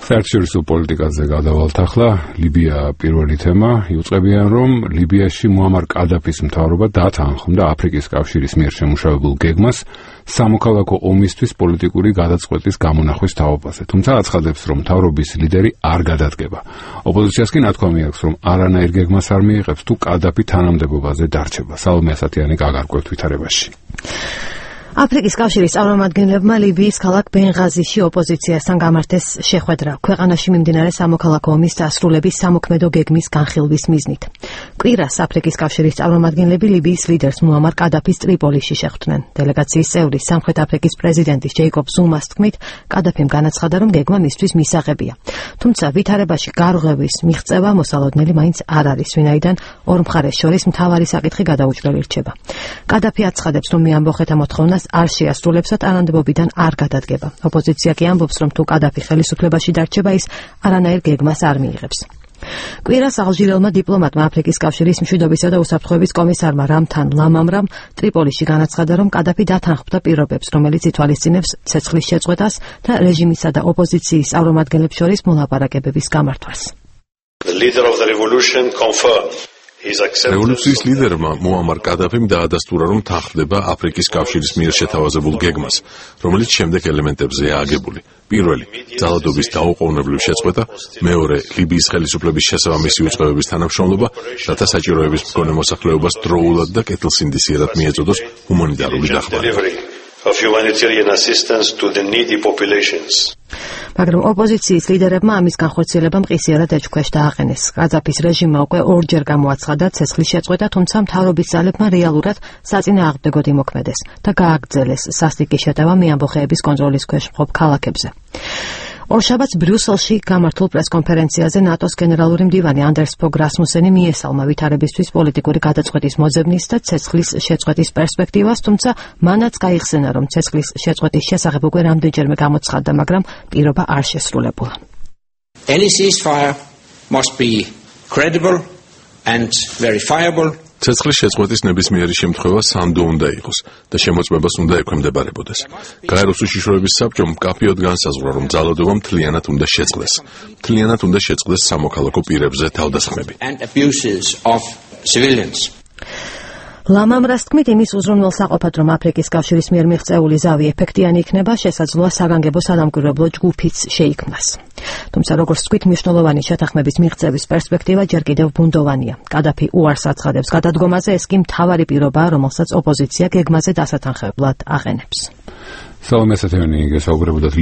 საერთაშორისო პოლიტიკაზე გადავალთ ახლა. ლიბია პირველი თემა. იუწყებიან, რომ ლიბიაში მუამარ კადაფის მთავრობა დათანხმდა აფრიკის კავშირის მიერ შემუშავებულ გეგმას სამოქალაქო ომისთვის პოლიტიკური გადაწყვეტის გამონახვის თაობაზე. თუმცა აცხადებს, რომ მთავრობის ლიდერი არ გადადგება. ოპოზიციას კი ნათქვამი აქვს, რომ არანაირ გეგმას არ მიიღებს თუ კადაფი თანამდებობაზე დარჩება. სალომე ასათიანი გაგარკვევთ ვითარებაში. აფრიკის კავშირის წარმომადგენლებმა ლიბიის ქალაქ ბენღაზიში ოპოზიციასთან გამართეს შეხვედრა ქვეყანაში მიმდინარე სამოქალაქო ომის დასრულების სამოქმედო გეგმის განხილვის მიზნით. კვირას აფრიკის კავშირის წარმომადგენლები ლიბიის ლიდერს მუამარ კადაფის ტრიპოლიში შეხვდნენ. დელეგაციის წევრი სამხრეთ აფრიკის პრეზიდენტის ჯეიკობ ზუმას თქმით, კადაფიმ განაცხადა, რომ გეგმა მისთვის მისაღებია. თუმცა ვითარებაში გარღვევის მიღწევა მოსალოდნელი მაინც არ არის, ვინაიდან ორ მხარეს შორის მთავარი საკითხი გადაუჭრელი რჩება. კადაფი აცხადებს, რომ მეამბოხეთა მოთხოვნას არ შეასრულებს და თანამდებობიდან არ გადადგება. ოპოზიცია კი ამბობს, რომ თუ კადაფი ხელისუფლებაში დარჩება, ის არანაირ გეგმას არ მიიღებს. კვირას ალჟირელმა დიპლომატმა აფრიკის კავშირის მშვიდობისა და უსაფრთხოების კომისარმა რამთან ლამამრამ ტრიპოლიში განაცხადა, რომ კადაფი დათანხმდა პირობებს, რომელიც ითვალისწინებს ცეცხლის შეწყვეტას და რეჟიმისა და ოპოზიციის წარმომადგენლებს შორის მოლაპარაკებების გამართვას. რევოლუციის ლიდერმა მუამარ კადაფიმ დაადასტურა, რომ თანხმდება აფრიკის კავშირის მიერ შეთავაზებულ გეგმას, რომელიც შემდეგ ელემენტებზეა აგებული. პირველი, ძალადობის დაუყოვნებლივ შეწყვეტა, მეორე, ლიბიის ხელისუფლების შესაბამისი უწყებების თანამშრომლობა, რათა საჭიროების მქონე მოსახლეობას დროულად და კეთილსინდისიერად მიეწოდოს ჰუმანიტარული დახმარება. მაგრამ ოპოზიციის ლიდერებმა ამის განხორციელება მყისიერად ეჭვქვეშ დააყენეს. კადაფის რეჟიმმა უკვე ორჯერ გამოაცხადა ცეცხლის შეწყვეტა, თუმცა მთავრობის ძალებმა რეალურად საწინააღმდეგოდ იმოქმედეს და გააგრძელეს სასტიკი შეტევა მეამბოხეების კონტროლის ქვეშ მყოფ ქალაქებზე. ორშაბათს ბრიუსელში გამართულ პრესკონფერენციაზე ნატოს გენერალური მდივანი ანდერს ფოგ რასმუსენი მიესალმა ვითარებისთვის პოლიტიკური გადაწყვეტის მოძებნის და ცეცხლის შეწყვეტის პერსპექტივას, თუმცა მანაც გაიხსენა, რომ ცეცხლის შეწყვეტის შესახებ უკვე რამდენჯერმე გამოცხადდა, მაგრამ პირობა არ შესრულებულა. Any ceasefire must be credible and verifiable. ცეცხლის შეწყვეტის ნებისმიერი შემთხვევა სანდო უნდა იყოს და შემოწმებას უნდა ექვემდებარებოდეს. გაეროს უშიშროების საბჭომ მკაფიოდ განსაზღვრა, რომ ძალადობა მთლიანად უნდა შეწყდეს. მთლიანად უნდა შეწყდეს სამოქალაქო პირებზე თავდასხმები. ლამამრას თქმით, იმის უზრუნველსაყოფად, რომ აფრიკის კავშირის მიერ მიღწეული ზავი ეფექტიანი იქნება, შესაძლოა საგანგებო სადამკვირვებლო ჯგუფიც შეიქმნას. თუმცა, როგორც თქვით, მნიშვნელოვანი შეთანხმების მიღწევის პერსპექტივა ჯერ კიდევ ბუნდოვანია. კადაფი უარს აცხადებს გადადგომაზე, ეს კი მთავარი პირობაა, რომელსაც ოპოზიცია გეგმაზე დასათანხმებლად აყენებს. სალომე ასათიანი გესაუბრებოდათ